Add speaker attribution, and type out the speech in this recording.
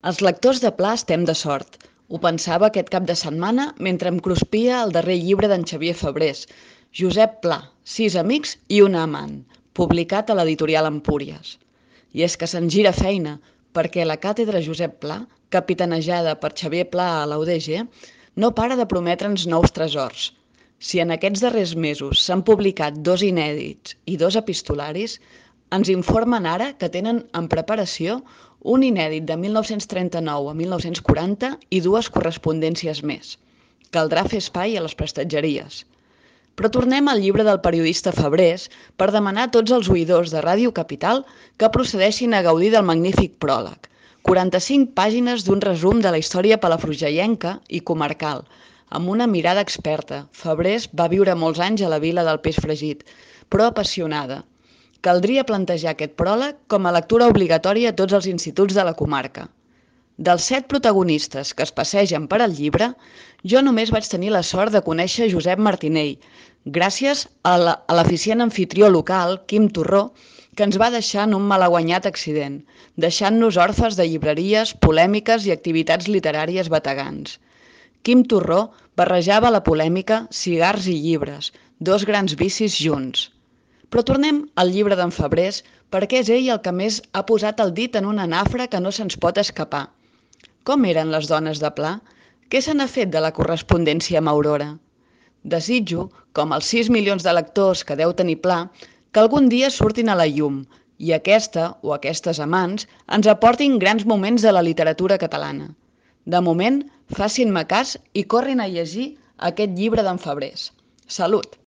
Speaker 1: Els lectors de Pla estem de sort. Ho pensava aquest cap de setmana mentre em cruspia el darrer llibre d'en Xavier Fabrés, Josep Pla, 6 amics i una amant, publicat a l'editorial Empúries. I és que se'n gira feina, perquè la càtedra Josep Pla, capitanejada per Xavier Pla a la UDG, no para de prometre'ns nous tresors. Si en aquests darrers mesos s'han publicat 2 inèdits i 2 epistolaris, ens informen ara que tenen en preparació un inèdit de 1939 a 1940 i 2 correspondències més. Caldrà fer espai a les prestatgeries. Però tornem al llibre del periodista Fabrés per demanar a tots els oïdors de Ràdio Capital que procedeixin a gaudir del magnífic pròleg. 45 pàgines d'un resum de la història palafrugellenca i comarcal, amb una mirada experta. Fabrés va viure molts anys a la vila del peix fregit, però apassionada. Caldria plantejar aquest pròleg com a lectura obligatòria a tots els instituts de la comarca. Dels 7 protagonistes que es passegen per al llibre, jo només vaig tenir la sort de conèixer Josep Martinell, gràcies a l'eficient anfitrió local, Quim Torró, que ens va deixar en un malaguanyat accident, deixant-nos orfes de llibreries, polèmiques i activitats literàries bategants. Quim Torró barrejava la polèmica, cigars i llibres, 2 grans vicis junts. Però tornem al llibre d'en Fabrés, perquè és ell el que més ha posat el dit en una nafra que no se'ns pot escapar. Com eren les dones de Pla? Què se n'ha fet de la correspondència amb Aurora? Desitjo, com els 6 milions de lectors que deu tenir Pla, que algun dia surtin a la llum i aquesta o aquestes amants ens aportin grans moments de la literatura catalana. De moment, facin-me cas i corrin a llegir aquest llibre d'en Fabrés. Salut!